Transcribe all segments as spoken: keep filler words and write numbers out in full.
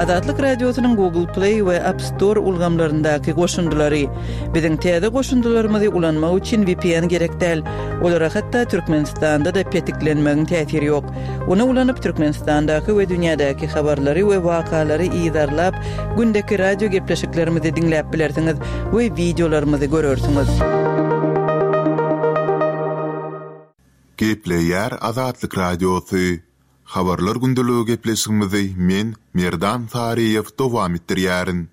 Azatlyk Radiosynyň Google Play we App Store ulgamlaryndaky goşundylary. Biziň täze goşundylarymyzy ulanmak üçin V P N gerek däl. Olara hatda Türkmenistanda-da petiklenmegiň täsiri ýok. Ony ulanyp Türkmenistandaky we dünýädäki habarlary we wakalary yzarlap, gündeki radio gepleşiklerimizi diňläp bilersiňiz we wideolarymyzy görersiňiz. Gepleýär Azatlyk Radiosy. Habarlar gündeligi gepleşigimizi men Merdan Saryýew dowam etdirýärin.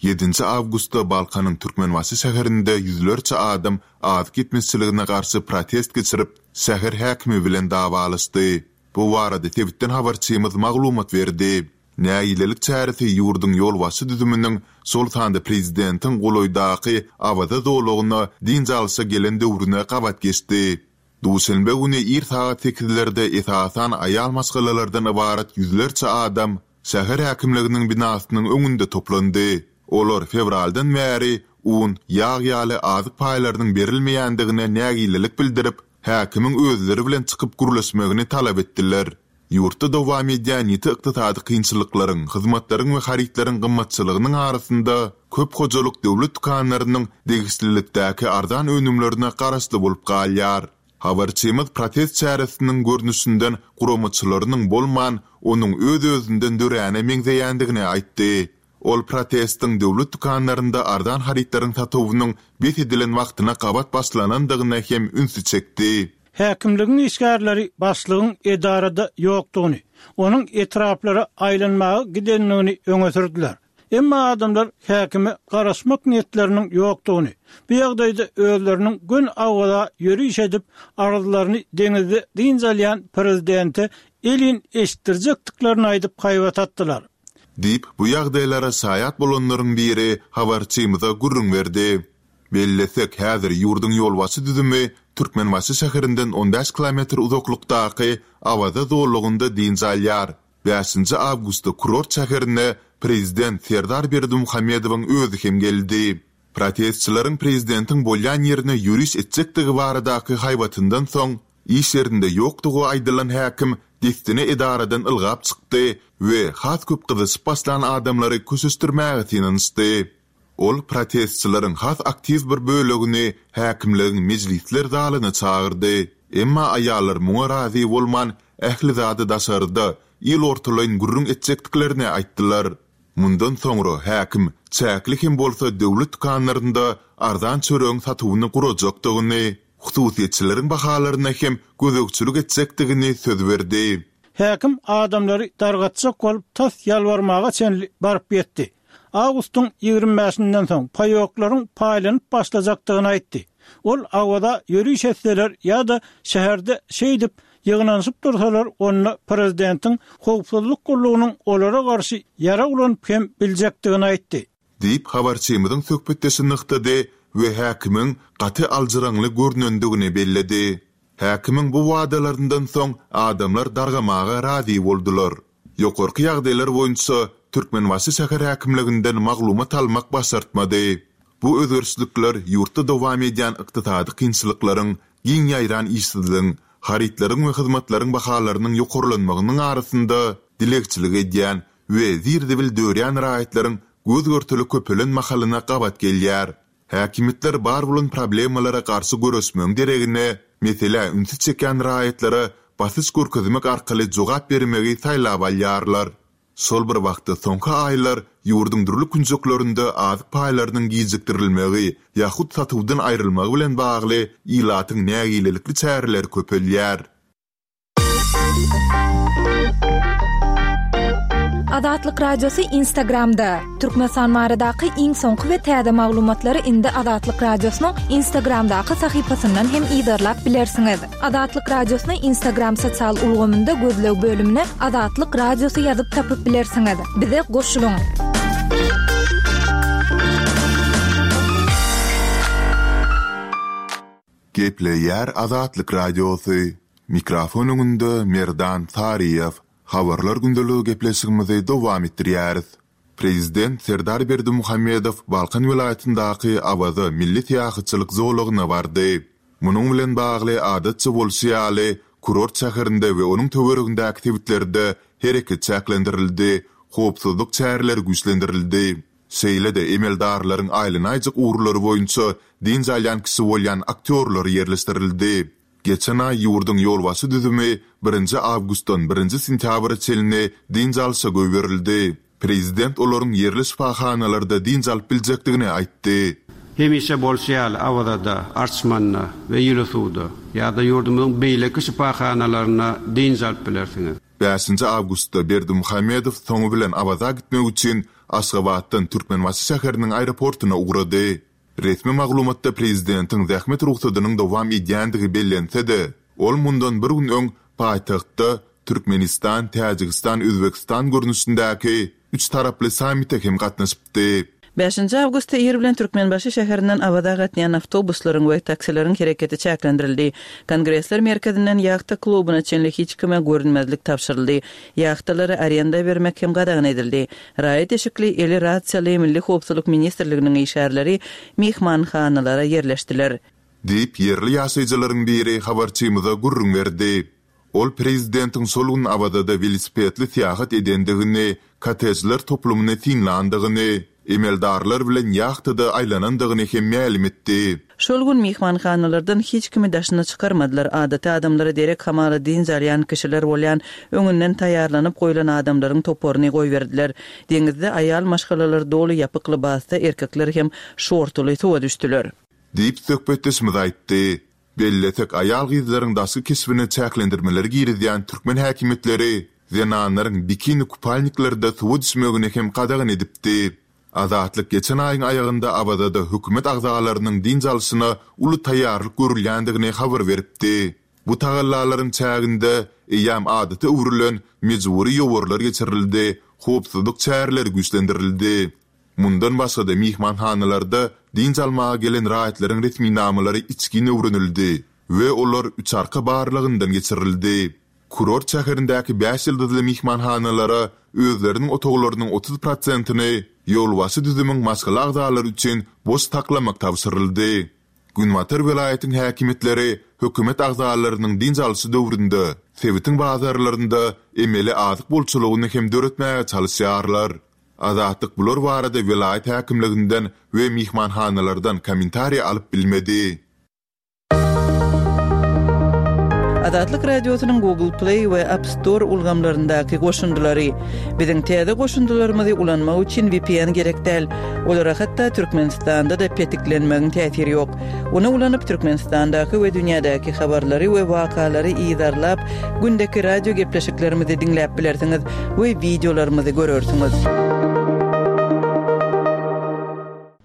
Ýedinji awgustda Balkanyň Türkmenbaşy şäherinde ýüzlerçe adam azyk ýetmezçiligine garşy protest geçirip, şäher häkimi bilen dawalaşdy. Bu barada sebitden habarçymyz maglumat berdi. Nägilelik çäresi ýurduň ýolbaşçy düzüminiň, şol sanda prezidentiň golaýdaky Awaza zolagyna dynç alşa gelen döwrüne gabat geçdi. Duşenbe güni ir sagat sekizlerde esasan aýal maşgalalardan ybarat ýüzlerçe adam şäher häkimliginiň binasynyň öňünde toplandy. Olar fewraldan bäri un, ýag ýaly azyk paýlarynyň berilmeýändigine nägilelik bildirip, häkimiň özleri bilen çykyp gürleşmegini talap etdiler. Ýurtda dowam edýän ýiti ykdysady kynçylyklaryň, hyzmatlaryň we harytlaryň gymmatçylygynyň arasynda köp hojalyk döwlet dükanlarynyň degişlilikdäki arzan önümlerine garaşly bolup galýar. Habarçymyz protest çäresiniň görnüşinden guramaçylarynyň bolman, onuň öz-özünden döräne meňzeýändigini aýtdy. Ol protestiň döwlet dükanlarynda arzan harytlaryň satuwynyň bes edilen wagtyna gabat başlanandygyna hem ünsi çekdi. Häkimligiň işgärleri başlygyň edarada ýokdugyny, onuň etraplara aýlanmaga gidendigini öňe sürdüler. Emma adamlar häkime garaşmak niýetleriniň ýokdugyny, bu ýagdaýda özleriniň gün Awaza ýöriş edip, arzlaryny deňizde dynç alýan prezidente elin eşitdirjekdiklerini aýdyp haýbat atdylar. Diýip, bu ýagdaýlara şaýat bolanlaryň biri habarçymyza gürrüň berdi. Bellesek, häzir ýurduň ýolbaşçy düzümi Türkmenbaşy şäherinden on bäş kilometr uzaklykdaky Awaza zolagynda dynç alýar. Bäşinji awgustda kurort şäherine prezident Serdar Berdimuhamedowyň özi hem geldi. Protestçileriň prezidentiň bolýan ýerine ýöriş etjekdigi baradaky haýbatyndan soň iş ýerinde ýokdugy aýdylan häkim dessine edaradan ylgap çykdy we has köp gyzyşyp başlan adamlary köşeşdirmäge synanyşdy. Ol protestçileriň has aktiw bir bölegini häkimligiň mejlisler zalyna çagyrdy. Emma aýallar muňa razy bolman, ähli zady daşarda, il ortalaýyn gürrüň etjekdiklerini aýtdylar. Mundan soňra häkim çäkli hem bolsa döwlet dükanlarynda arzan çöregiň satuwyny gurajakdygyny, hususyýetçileriň bahalaryna hem gözegçilik etjekdigini söz berdi. Häkim adamlary dargatjak bolup tas ýalbarmaga çenli baryp ýetdi. Awgustyň ýigrimi bäşinden soň paýoklaryň paýlanyp başlajakdygyny aýtdy. Ol Awaza ýöriş etseler ýa-da şäherde şeýdip ýygnanyşyp dursalar, onda prezidentiň howpsuzlyk gullugynyň olara garşy ýarag ulanyp hem biljekdigini aýtdy. Diýip, habarçymyzyň söhbetdeşi nygtady we häkimiň gaty aljyraňly görnendigini belledi. Häkimiň bu wadalaryndan soň adamlar dargamaga razy boldular. Ýokarky ýagdaýlar boýunça Türkmenbaşy şäher häkimliginden maglumat almak başartmady. Bu özgerişlikler ýurtda dowam edýän ykdysady kynçylyklaryň, giň ýaýran işsizligiň, harytlaryň we hyzmatlaryň bahalarynyň ýokarlanmagynyň arasynda dilegçilik edýän we zir-zibil dörýän raýatlaryň göz görteli köpelen mahalyna gabat gelýär. Häkimiýetler bar bolan problemalara garşy göreşmegiň deregine, meselä ünsi çekýän raýatlara basyş görkezmek arkaly jogap bermegi saýlap alýarlar. Şol bir wagtda soňky aýlar ýurduň dürli künjeklerinde azyk paýlarynyň gijikdirilmegi ýa-da satuwdan aýrylmagy bilen bagly ilatyň nägilelikli çäreleri köpelýär. Azatlyk Radiosy Instagramda. Türkmenistan baradaky iň soňky we täze maglumatlary indi Azatlyk Radiosynyň Instagramdaky sahypasyndan hem yzarlap bilersiňiz. Azatlyk Radiosyny Instagram sosial ulgamynda gözleg bölümine Azatlyk Radiosy ýazyp tapyp bilersiňiz. Bize goşulyň. Gepleýär Azatlyk Radiosy. Mikrofon öňünde Merdan Saryýew. Habarlar gündeligi gepleşigimizi dowam etdirýäris. Prezident Serdar Berdimuhamedow Balkan welaýatyndaky Awaza milli syýahatçylyk zolagyna bardy. Munuň bilen bagly adatça bolşy ýaly, kurort şäherinde we onuň töweregindäki sebitlerde hereket çäklendirildi, howpsuzlyk çäreleri güýçlendirildi. Şeýle-de emeldarlaryň aýlanaýjak ugurlary boýunça dynç alýan kişi bolýan aktýorlar ýerleşdirildi. Geçen aý ýurduň ýolbaşçy düzümi birinji awgustdan birinji sentýabra çenli dynç alşa goýberildi. Prezident olaryň ýerli şypahanalarda dynç alyp biljekdigini aýtdy. Hemişe bolşy ýaly, Awazada, Arçmanda we Ýyly suwda ýa-da ýurdumyzyň beýleki şypahanalarynda dynç alyp bilersiňiz. Bäşinji awgustda Berdimuhamedow soňy bilen Awaza gitmek üçin Aşgabatdan Türkmenbaşy şäheriniň aeroportuna ugrady. Resmi maglumatda prezidentiň zähmet rugsadynyň dowam edýändigi bellense-de, ol mundan bir gün öň paýtagtda Türkmenistan, Täjigistan, Özbegistan görnüşindäki üç taraply sammite hem gatnaşypdy. Bäşinji awgustda ir bilen Türkmenbaşy şäherinden Awaza gatnaýan awtobuslaryň we taksileriň hereketi çäklendirildi. Kongresler merkezinden ýahta klubuna çenli hiç kime görünmezlik tabşyryldy. Ýahtalary arenda bermek hem gadagan edildi. Raýat eşikli, eli rasiýaly Milli howpsuzlyk ministrliginiň işgärleri myhmanhanalara ýerleşdiler. Diýip, ýerli ýaşaýjylaryň biri habarçymyza gürrüň berdi. Ol prezidentiň şol gün Awazada welosipedli syýahat edendigini, kottejler toplumyny synlandygyny, emeldarlar bilen ýahtada aýlanandygyny hem mälim etdi. Şol gün myhmanhanalardan hiç kimi daşyna çykarmadylar. Adaty adamlara derek hamala dynç alýan kişiler bolýan, öňünden taýýarlanyp goýlan adamlaryň toparyny goýberdiler. Deňizde aýal maşgalalar doly ýapyk lybasda, erkekler hem şortuly suwa düşdüler. Diýip, söhbetdeşimiz aýtdy. Bellesek, aýal-gyzlaryň daşky keşbine çäklendirmeleri girizýän türkmen häkimiýetleri zenanlaryň bikini-kupalniklerde suwa düşmegini hem gadagan edipdi. Azatlyk geçen aýyň aýagynda Awazada hökümet agzalarynyň dynç alşyna uly taýýarlyk görülýändigini habar beripdi. Bu tagallalaryň çäginde eýýäm adata öwrülen mejbury ýowarlar geçirildi, howpsuzlyk çäreleri güýçlendirildi. Mundan başga-da myhmanhanalarda dynç almaga gelen raýatlaryň resminamalary içgin öwrenildi we olar üçarka barlagyndan geçirildi. Kurort şäherindäki bäş ýyldyzly myhmanhanalara özleriniň otaglarynyň otuz prosentini ýolbaşçy düzümiň maşgala agzalary üçin boş saklamak tabşyryldy. Günbatar welaýatyň häkimiýetleri hökümet agzalarynyň dynç alşy döwründe sebitiň bazarlarynda emeli azyk bolçulygyny hem döretmäge çalyşýarlar. Azatlyk bular barada welaýat häkimliginden we myhmanhanalardan kommentariý alyp bilmedi. Azatlyk Radiosynyň Google Play we App Store ulgamlaryndaky goşundylary. Biziň täze goşundylarymyzy ulanmak üçin V P N gerek däl. Olara hatda Türkmenistanda-da petiklenmegiň täsiri ýok. Ony ulanyp Türkmenistandaky we dünýädäki habarlary we wakalary yzarlap, gündeki radio gepleşiklerimizi diňläp bilersiňiz we wideolarymyzy görersiňiz.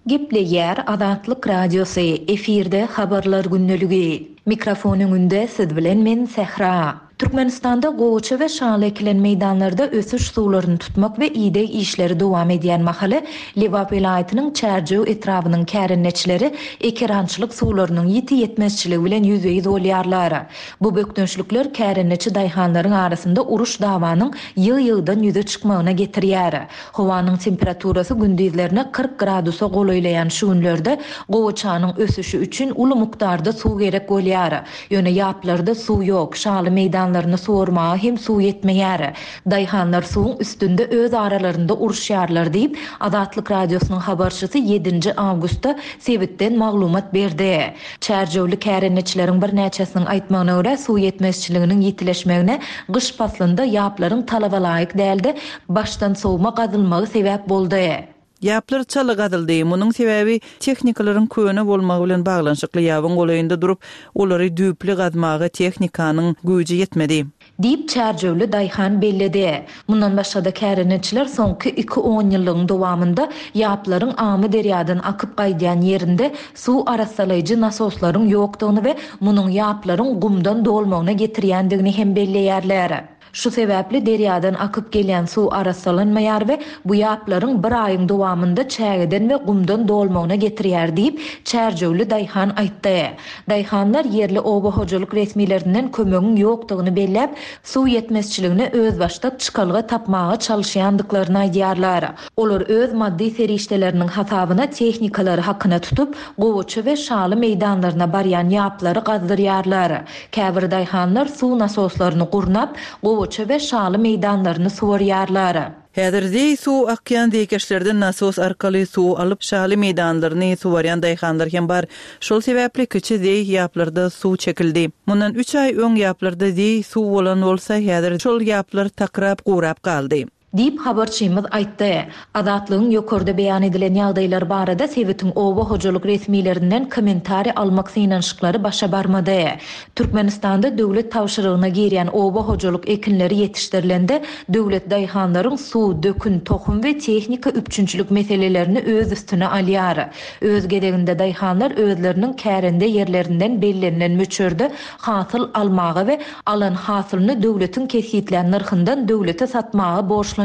Gepleýär Azatlyk Radiosy, efirde habarlar gündeligi. Mikrofon öňünde siz bilen men Sähra. Türkmenistanda gowaça we şaly ekilen meýdanlarda ösüş suwlaryny tutmak we ideg işleri dowam edýän mahaly Lebap welaýatynyň Çärjew etrabynyň kärendeçileri ekerançylyk suwlarynyň ýiti ýetmezçiligi bilen ýüzbe-ýüz bolýarlar. Bu bökdençlikler kärendeçi daýhanlaryň arasynda uruş dawanyň ýygy-ýygydan ýüze çykmagyna getirýär. Howanyň temperaturasy gündizlerine kyrk gradusa golaýlaýan şu günlerde gowaçanyň ösüşi üçin uly mukdarda suw gerek bolýar. Ýöne ýaplarda suw ýok, şaly meýdanlaryny suwarmaga hem suw ýetmeýär. Daýhanlar suwuň üstünde öz aralarynda uruşýarlar diýip, Azatlyk Radiosynyň habarçysy ýedinji awgustda sebitden maglumat berdi. Çärjewli kärendeçileriň birnäçesiniň aýtmagyna görä suw ýetmezçiliginiň ýitileşmegine gyş paslynda ýaplaryň talaba laýyk däldi, başdan sowma gazylmagy sebäp boldy. Ýaplar çaly gazyldy. Munuň sebäbi tehnikalaryň köne bolmagy bilen baglanyşykly ýabyň golaýynda durup, olary düýpli gazmaga tehnikanyň güýji ýetmedi. Diýip Çärjewli daýhan belledi. Mundan başga-da kärendeçiler soňky iki on ýyllygyň dowamynda ýaplaryň Amy derýadan akyp gaýdýan ýerinde suw arassalaýjy nasoslaryň ýokdugyny we munuň ýaplaryň gumdan dolmagyna getirýändigini hem belleýärler. Şu sebäpli derýadan akyp gelýän suw arassalanmaýar we bu ýaplaryň bir aýyň dowamynda çägeden we gumdan dolmagyna getirýär diýip Çärjewli daýhan aýtdy. Daýhanlar ýerli oba hojalyk resmilerinden kömegiň ýokdugyny belläp, suw ýetmezçiligine özbaşdak çykalga tapmaga çalyşýandyklaryny aýdýarlar. Olar öz maddy serişdeleriniň hasabyna tehnikalary hakyna tutup, gowaça we şaly meýdanlaryna barýan ýaplary gazdyrýarlar. Käbir daýhanlar suw nasoslaryny gurnap, gowaça gowaça we şaly meýdanlaryny suwarýarlar. Häzir zeý suw akýan zeýkeşlerden nasos arkaly suw alyp, şaly meýdanlaryny suwarýan daýhanlar hem bar. Şol sebäpli kiçi zeý ýaplarda suw çekildi. Mundan üç aý öň ýaplarda zeý suw bolan bolsa, häzir şol ýaplar takrap gurap galdy. Diýip, habarçymyz aýtdy. Azatlygyň ýokarda beýan edilen ýagdaýlar barada sebitiň oba hojalyk resmilerinden kommentariý almak synanyşyklary başa barmady. Türkmenistanda döwlet tabşyrygyna girýän oba hojalyk ekinleri ýetişdirilende, döwlet daýhanlaryň suw, dökün, tohum we tehnika üpjünçilik meselelerini öz üstüne alýar. Öz gezeginde daýhanlar özleriniň kärende ýerlerinden bellenilen möçberde hasyl almaga we alan hasylyny döwletiň kesgitlän nyrhyndan döwlete satmaga borçlanýarlar.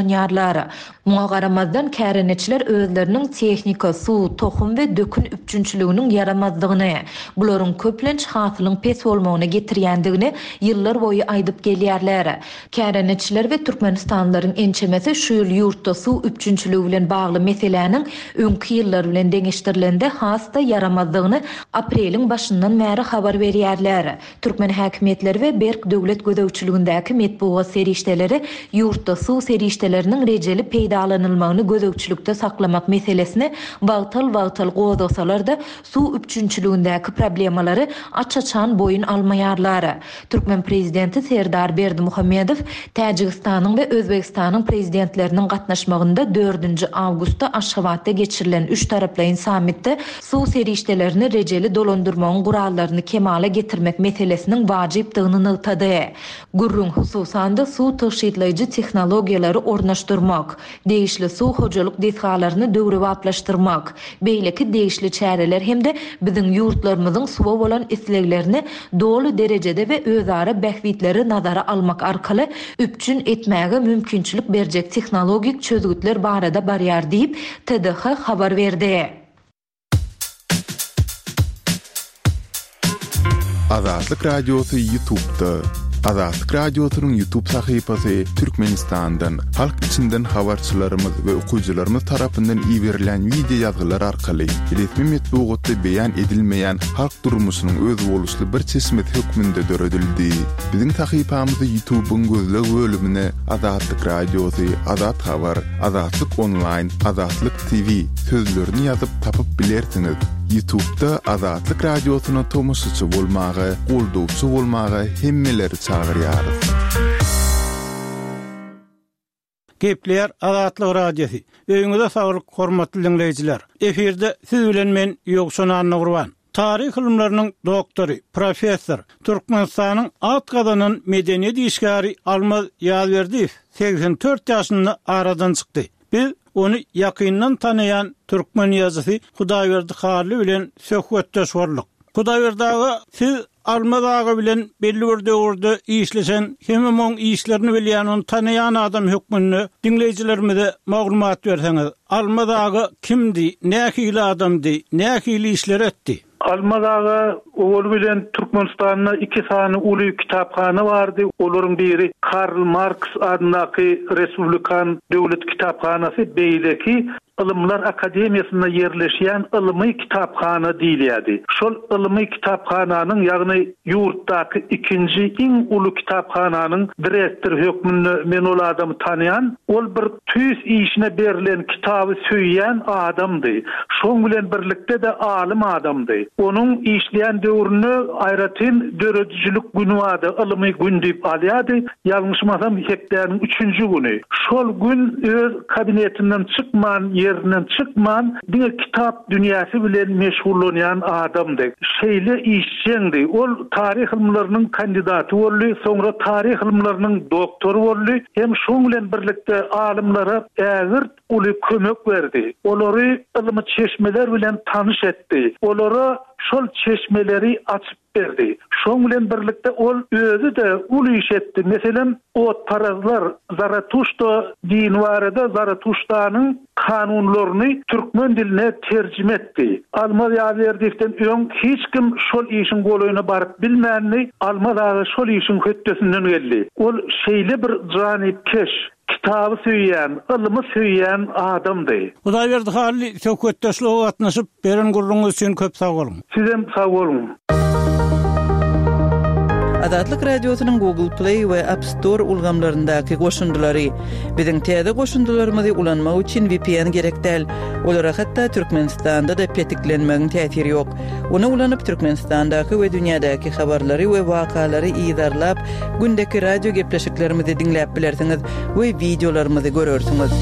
Muňa garamazdan, kärendeçiler özleriniň tehnika, suw, tohum we dökün üpjünçiliginiň ýaramazdygyny, bularyň köplenç hasylyň pes bolmagyna getirýändigini ýyllar boýy aýdyp gelýärler. Kärendeçiler we türkmenistanlylaryň ençemesi şu ýyl ýurtda suw üpjünçiligi bilen bagly meseläniň öňki ýyllar bilen deňeşdirilende has-da ýaramazdygyny apreliň başyndan bäri habar berýärler. Türkmen häkimiýetleri we berk döwlet gözegçiligindäki metbugat serişdeleri ýurtda suw serişdeleriniň rejeli peýdalanylmagyny gözegçilikde saklamak meselesini wagtal-wagtal gozgasalar-da, suw üpjünçiligindäki problemalary aç-açan boýun almaýarlar. Türkmen prezidenti Serdar Berdimuhamedow Täjigistanyň we Özbegistanyň prezidentleriniň gatnaşmagynda dördünji awgustda Aşgabatda geçirilen üç taraplaýyn sammitde suw serişdelerini rejeli dolandyrmagyň gurallaryny kemala getirmek meselesiniň wajypdygyny nygtady. Gürrüň hususan-da suw tygşytlaýjy tehnologiýalary ornaşdyrmak, degişli suw hojalyk desgalaryny döwrebaplaşdyrmak, beýleki degişli çäreler hem-de biziň ýurtlarymyzyň suwa bolan isleglerini doly derejede we özara bähbitleri nazara almak arkaly üpjün etmäge mümkinçilik berjek tehnologik çözgütler barada barýar diýip, T D H habar berdi. Azatlyk Radiosy YouTube'da. Azatlyk Radiosynyň YouTube sahypasy Türkmenistandan, halk içinden habarçylarymyz we okyjylarymyz tarapyndan iberilen wideo ýazgylar arkaly resmi metbugatda beýan edilmeýän halk durmuşynyň özboluşly bir çeşmesi hökmünde döredildi. Biziň sahypamyzy YouTube'yň gözleg bölümine Azatlyk Radiosy, Azat Habar, Azatlyk Online, Azatlyk T V sözlerini ýazyp tapyp bilersiňiz. YouTube'da Azatlyk Radiosyna tomaşaçy bolmaga, goldawçy bolmaga hemmeleri çagyrýarys. Gepleýär Azatlyk Radiosy. Öýüňize saglyk, hormatly diňleýjiler. Efirde siz bilen men Ýowşan Annagurban. Taryh ylymlarynyň doktory, professor, Türkmenistanyň at gazanan medeniýet işgäri Almaz Ýazberdiýew segsen dört ýaşynda aradan çykdy. Biz ony ýakyndan tanaýan türkmen ýazyjysy Hudaýberdi Hally bilen söhbetdeş bolduk. Hudaýberdi aga, siz Almaz aga bilen belli bir döwürde işleşen, hem onuň işlerini bilýän, ony tanaýan adam hökmünde diňleýjilerimize maglumat berseňiz, Almaz aga kimdi, nähili adamdy, nähili işler etdi? Almaz aga owal bilen Türkmenistanda iki sany uly kitaphana bardy. Olaryň biri Karl Marks adyndaky Respublikan döwlet kitaphanasy, beýleki Ylymlar Akademiýasynda ýerleşýän ylmy kitaphana diýilýärdi. Şol ylmy kitaphananyň, ýagny ýurtdaky ikinji iň uly kitaphananyň direktory hökmünde men ol adamy tanýan. Ol bir tüýs işine berlen, kitaby söýýän adamdy. Şoň bilen birlikde-de alym adamdy. Onuň işleýän döwründe aýratyn döredijilik güni bardy, ylmy gün diýip alýardy. Ýalňyşmasam hepdäniň üçünji güni. Şol gün öz kabinetinden çykman, ýerinden çykman, diňe kitap dünýäsi bilen meşgullanýan adamdy. Şeýle işjeňdi. Ol taryh ylymlarynyň kandidaty boldy, soňra taryh ylymlarynyň doktory boldy. Hem şoň bilen birlikde alymlara ägirt uly kömek berdi. Olary ylmy çeşmeler bilen tanyş etdi. Olara şol çeşmeleri açyp berdi. Şoň bilen birlikde ol özi-de uly iş etdi. Meselem, otparazlar Zaratuşta dini barada Zaratuştanyň kanunlaryny türkmen diline terjime etdi. Almaz Ýazberdiýewden öň hiç kim şol işiň golaýyna baryp bilmändi. Almaz aga şol işiň hötdesinden geldi. Ol şeýle bir janypkeş, kitaby söýýän, ylmy söýýän adamdy. Hudaýberdi Hally söhbetdeşlige gatnaşyp beren gürrüňiz üçin köp sag boluň. Sizem sag boluň. Azatlyk Radiosynyň Google Play we App Store ulgamlaryndaky goşundylary. Biziň täze goşundylarymyzy ulanmak üçin V P N gerek däl. Olara hatda Türkmenistanda-da petiklenmegiň täsiri ýok. Ony ulanyp Türkmenistandaky we dünýädäki habarlary we wakalary yzarlap, gündeki radio gepleşiklerimizi diňläp bilersiňiz we wideolarymyzy görersiňiz.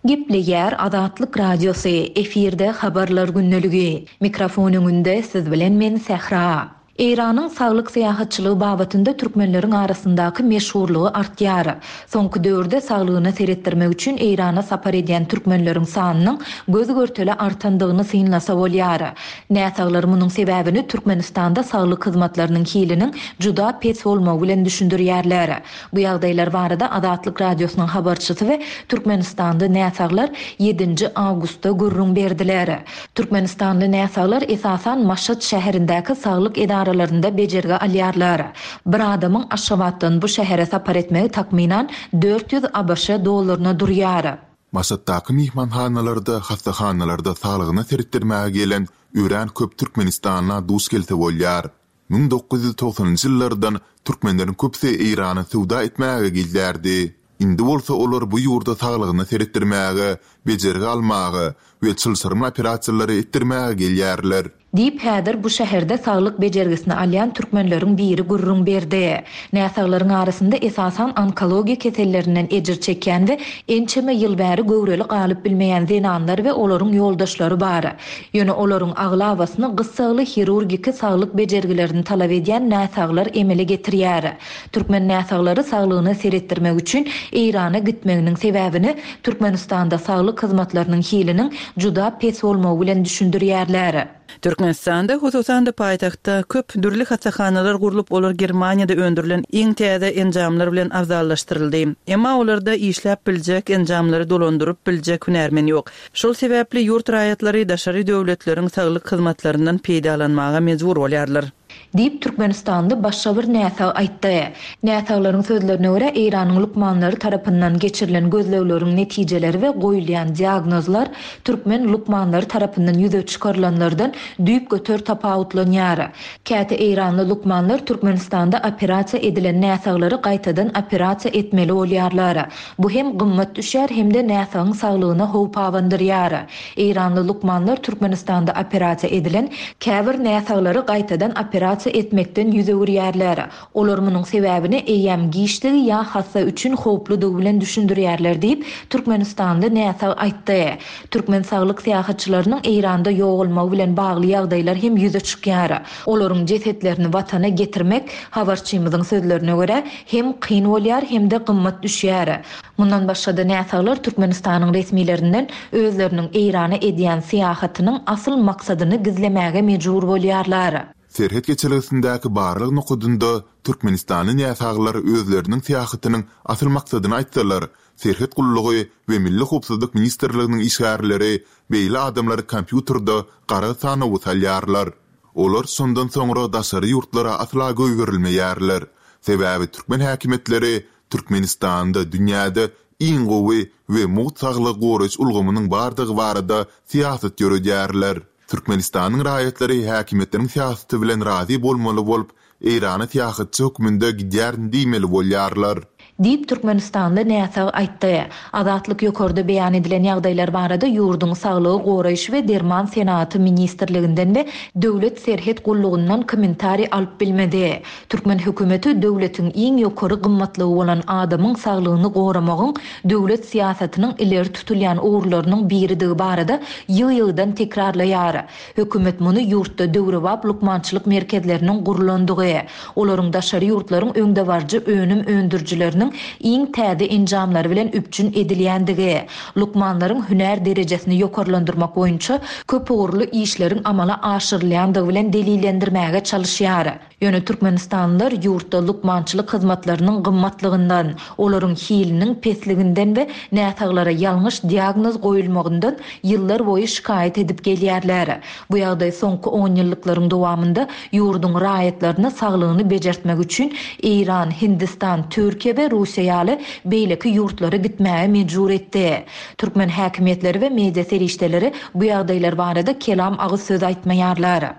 Gepleýär Azatlyk Radiosy, efirde habarlar gündeligi. Mikrofon öňünde siz bilen men Sähra. Eýranyň saglyk syýahatçylygy babatynda türkmenleriň arasyndaky meşhurlygy artýar. Soňky döwürde saglygyna seretdirmek üçin Eýrana sapar edýän türkmenleriň sanynyň göz görtele artandygyny synlasa bolýar. Näsaglar munuň sebäbini Türkmenistanda saglyk hyzmatlarynyň hiliniň juda pes bolmagy bilen düşündirýärler. Bu ýagdaýlar barada Azatlyk Radiosynyň habarçysy we Türkmenistanda näsaglar ýedinji awgustda gürrüň berdiler. Türkmenistanly näsaglar esasan Maşat şäherindäki saglyk edaralarynda bejergi alýarlar. Bir adamyň Aşgabatdan bu şähere sapar etmegi takmynan dört ýüz A B Ş dollaryna durýar. Maşatdaky myhmanhanalarda, hassahanalarda saglygyna seretdirmäge gelen örän köp Türkmenistanla duş gelse bolýar. müň dokuz ýüz togsanynjy ýyllardan türkmenleriň köpüsi Eýrana söwda etmäge gelýärdi. Indi bolsa olar bu ýurda saglygyna seretdirmäge, bejergi almaga we çylşyrymly operasiýalary etdirmäge gelýärler. Diýip häzir bu şäherde saglyk bejergisini alýan türkmenleriň biri gürrüň berdi. Näsaglaryň arasynda esasan onkologiýa kesellerinden ejir çekýän we ençeme ýyl bäri göwreli galyp bilmeýän zenanlar we olaryň ýoldaşlary bar. Ýöne olaryň aglabasyny gyssagly hirurgiki saglyk bejergilerini talap edýän näsaglar emele getirýär. Türkmen näsaglary saglygyny seretdirmek üçin Eýrana gitmeginiň sebäbini Türkmenistanda saglyk hyzmatlarynyň hiliniň juda pes bolmagy bilen düşündirýärler. Türkmenistanda, hususan-da paýtagtda köp dürli hassahanalar gurlup, olar Germaniýada öndürilen iň täze enjamlar bilen abzallaşdyryldy. Emma olarda işläp biljek, enjamlary dolandyryp biljek hünärmen ýok. Şol sebäpli ýurt raýatlary daşary döwletleriň saglyk hyzmatlaryndan peýdalanmaga mejbur bolýarlar. Diýip Türkmenistanda başga bir näsag aýtdy. Näsaglaryň sözlerine görä, Eýranyň lukmanlary tarapyndan geçirilen gözlegleriň netijeleri we goýulýan diagnozlar türkmen lukmanlary tarapyndan ýüze çykarylanlardan düýpgöter tapawutlanýar. Käte Eýranly lukmanlar Türkmenistanda operasiýa edilen näsaglary gaýtadan operasiýa etmeli bolýarlar. Bu hem gymmat düşýär hem-de näsagyň saglygyna howp abandyrýar. Eýranly lukmanlar Türkmenistanda operasiýa edilen käbir näsaglary gaýtadan operasiýa etmekden ýüz öwürýärler. Olar munuň sebäbini eýýäm giçdigi ýa hassa üçin howpludygy bilen düşündirýärler diýip Türkmenistanda näsag aýtdy. Türkmen saglyk syýahatçylarynyň Eýranda ýogalmagy bilen bagly ýagdaýlar hem ýüze çykýar. Olaryň jesetlerini watana getirmek habarçymyzyň sözlerine görä hem kyn bolýar hem-de gymmat düşýär. Mundan başga-da näsaglar Türkmenistanyň resmilerinden özleriniň Eýrana edýän syýahatynyň asyl maksadyny gizlemäge mejbur bolýarlar. Serhet geçelgesindäki barlag nokadynda Türkmenistanly näsaglar özleriniň syýahatynyň asyl maksadyny aýtsalar, Serhet gullugy we Milli howpsuzlyk ministrliginiň işgärleri beýle adamlary kompýuterde gara sanawa salýarlar. Olar şondan soňra daşary ýurtlara asla goýberilmeýärler. Sebäbi türkmen häkimiýetleri Türkmenistanda dünýäde iň gowy we mugt saglygy goraýyş ulgamynyň bardygy barada syýasat ýöredýärler. Türkmenistanyň raýatlary häkimiýetleriň syýasaty bilen razy bolmaly bolup, Eýrana syýahatçy hökmünde gidýärin diýmeli bolýarlar. Diýip Türkmenistanly näsag aýtdy. Azatlyk ýokarda beýan edilen ýagdaýlar barada ýurduň saglygy goraýyş we derman senagaty ministrliginden we Döwlet serhet gullugyndan kommentariý alyp bilmedi. Türkmen hökümeti döwletiň iň ýokary gymmatlygy bolan adamyň saglygyny goramagyň döwlet syýasatynyň ileri tutulýan ugurlarynyň biridigi barada ýygy-ýygydan tekrarlaýar. Hökümet muny ýurtda döwrebap lukmançylyk merkezleriniň gurulandygy, olaryň daşary ýurtlaryň öňdebaryjy önüm öndürijileriniň iň täze enjamlary bilen üpjün edilýändigi, lukmanlaryň hünär derejesini ýokarlandyrmak boýunça köp ugurly işleriň amala aşyrylýandygy bilen delillendirmäge çalışýar. Ýöne Türkmenistanlylar ýurtda lukmançylyk hyzmatlarynyň gymmatlygyndan, olaryň hiliniň pesliginden we näsaglara ýalňyş diagnoz goýulmagyndan ýyllar boýy şikaýat edip gelýärler. Bu ýagdaý soňky on ýyllyklaryň dowamynda ýurduň raýatlaryny saglygyny bejertmek üçin Eýran, Hindistan, Türkiýe we Russiýa ýaly beýleki ýurtlara gitmäge mejbur etdi. Türkmen häkimiýetleri we media serişdeleri bu ýagdaýlar barada kelam agyz söz aýtmaýarlar.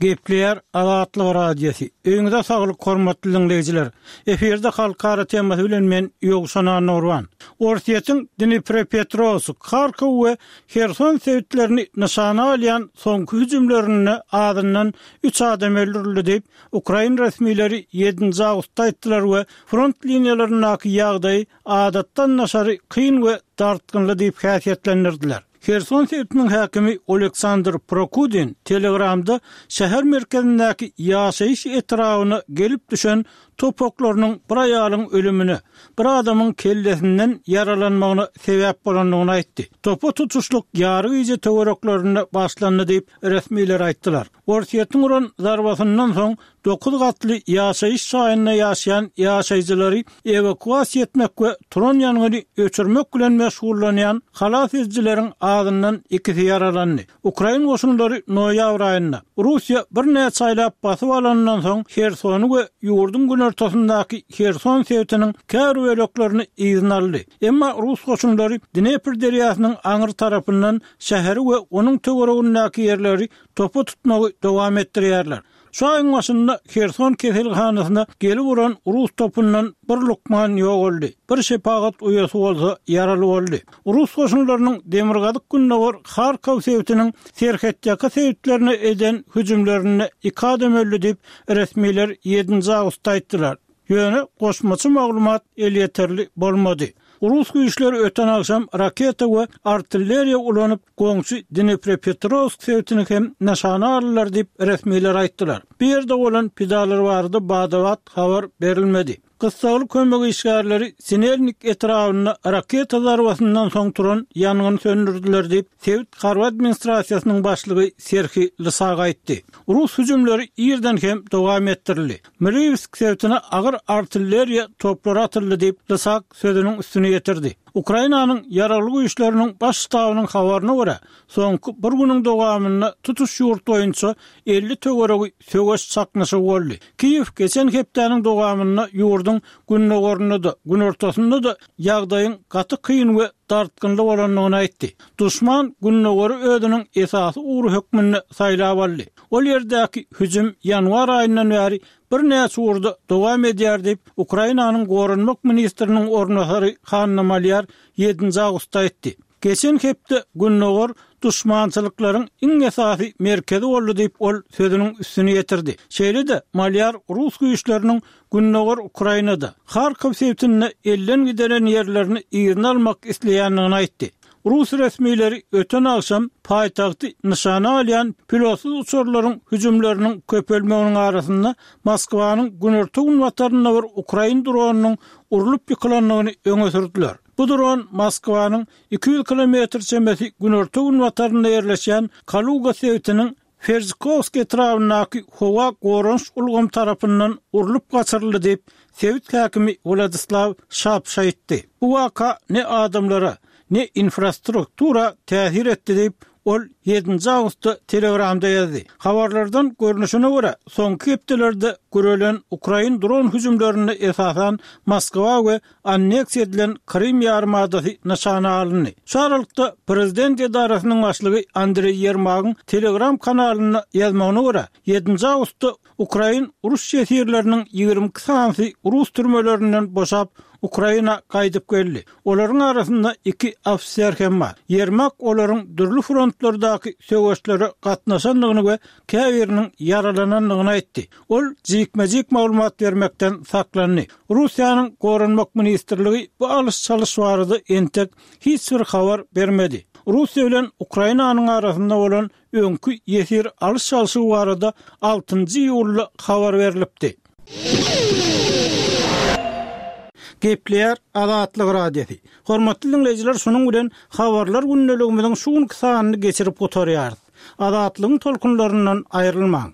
Gepleýär Azatlyk Radiosy. Öýüňize saglyk hormatly diňleýjiler. Efirde halkara temasy bilen men Ýowşan Annagurban. Orsýetiň Dniprepetrowsk, Harkow we Herson sebitlerini nyşana alýan soňky hüjümlerinde azyndan üç adam öldürildi diýip, ukrain resmileri ýedinji awgustda aýtdylar we front liniýalaryndaky ýagdaýy adatdan daşary kyn we dartgynly diýip häsiýetlendirdiler. Herson sebitiniň häkimi Oleksandr Prokudin Telegramda şäher merkezindäki ýaşaýyş etrabyna gelip düşen top oklarynyň bir aýalyň ölümine, bir adamyň kellesinden ýaralanmagyna sebäp bolandygyny aýtdy. Topa tutuşlyk ýary gije töwereklerinde başlandy diýip, resmiler aýtdylar. Orsýetiň uran zarbasyndan soň dokuz gatly ýaşaýyş jaýynda ýaşaýan ýaşaýjylary ewakuasiýa etmek we turan ýangyny öçürmek bilen meşgullanýan halas edijileriň azyndan ikisi ýaralandy. Ukrain goşunlary noýabr aýynda, Russiýa birnäçe aýlap basyp alanyndan soň Hersony we ýurduň günortasyndaky Herson sebitiniň käbir böleklerini yzyna aldy. Emma rus goşunlary Dnepr derýasynyň aňry tarapyndan şäheri we onuň töweregindäki ýerleri topa tutmagy dowam etdirýärler. Şu aýyň başynda Herson keselhanasyna gelip uran rus topundan bir lukman ýogaldy, bir şepagat uýasy bolsa ýaraly boldy. Rus goşunlarynyň demirgazyk-gündogar Harkow sebitiniň serhetýaka sebitlerine eden hüjümlerinde iki adam öldi diýip, resmiler ýedinji awgustda aýtdylar. Ýöne goşmaça maglumat elýeterli bolmady. Rus güýçleri öten agşam raketa we artilleriýa ulanyp, goňşy Dniprepetrowsk sebitini hem nyşana aldylar diýip, resmiler aýtdylar. Bu ýerde bolan pidalar barada bada-bat habar berilmedi. Gyssagly kömek işgärleri Sinelnik etrabynda raketa zarbasyndan soň turan ýangyny söndürdiler diýip, sebit harby administrasiýasynyň başlygy Serhiý Lysak aýtdy. Rus hüjümleri irden hem dowam etdirildi. Mriwsk sebitine agyr artilleriýa toplary atyldy diýip, Lysak sözüniň üstüni ýetirdi. Ukrainanyň Ýaragly Güýçleriniň Baş ştabynyň habaryna görä, soňky bir günüň dowamynda tutuş ýurt boýunça elli töweregi söweş çaknyşygy boldy. Kiýew geçen hepdäniň dowamynda ýurduň gündogarynda-da, günortasynda-da ýagdaýyň gaty kyn we dartgynly bolandygyny aýtdy. Duşman gündogary özüniň esasy ugry hökmünde saýlap aldy. Ol ýerdäki hüjüm ýanwar aýyndan bäri birnäçe ugurda dowam edýär diýip, Ukrainanyň goranmak ministriniň orunbasary Hanna Malýar ýedinji awgustda aýtdy. Geçen hepde gündogar duşmançylyklaryň iň esasy merkezi boldy diýip, ol sözüniň üstüni ýetirdi. Şeýle-de, Malýar rus güýçleriniň gündogar Ukrainada, Harkow sebitinde elden gideren ýerlerini yzyna almak isleýändigini aýtdy. Rus resmileri öten agşam paýtagty nyşana alýan pilotsyz uçarlaryň hüjümleriniň köpelmeginiň arasynda Moskwanyň günorta-günbatarynda bir ukrain dronynyň urlup ýykylandygyny öňe sürdüler. Bu dron Moskwanyň iki ýüz kilometr çemesi günorta-günbatarynda ýerleşýän Kaluga sebitiniň Ferzkowsk etrabyndaky howa goranyş ulgamy tarapyndan urlup gaçyryldy diýip, sebit häkimi Wladislaw Şapş aýtdy. Bu waka ne adamlara, ne infrastruktura täsir etdi diýip, ol ýedinji awgustda Telegramda ýazdy. Habarlardan görnüşine görä, soňky hepdelerde gürelen ukrain dron hüjümlerinde esasan Moskwa we anneksiýa edilen Krym ýarymadasy nyşana alyndy. Şu aralykda, prezident edarasynyň başlygy Andreý Ýermagyň Telegram kanalynda ýazmagyna görä, ýedinji awgustda ukrain uruş ýesirleriniň ýigrimi iki sanysy rus türmelerinden boşap, Ukraina gaýdyp geldi. Olaryň arasynda iki ofiser hem bar. Ýermak olaryň dürli frontlardaky söweşlere gatnaşandygyny we käbiriniň ýaralanandygyny aýtdy. Ol jikme-jik maglumat bermekden saklandy. Russiýanyň Goranmak ministrligi bu alyş-çalyş barada entek hiç bir habar bermedi. Russiýa bilen Ukrainanyň arasynda bolan öňki ýesir alyş-çalşygy barada altynjy iýulda habar berlipdi. Gepleýär Azatlyk Radiosy. Hormatly diňleýjiler, şunuň bilen Habarlar gündeligimiziň şu günki sanyny geçirip gutarýarys. Azatlygyň tolkunlaryndan aýrylmaň!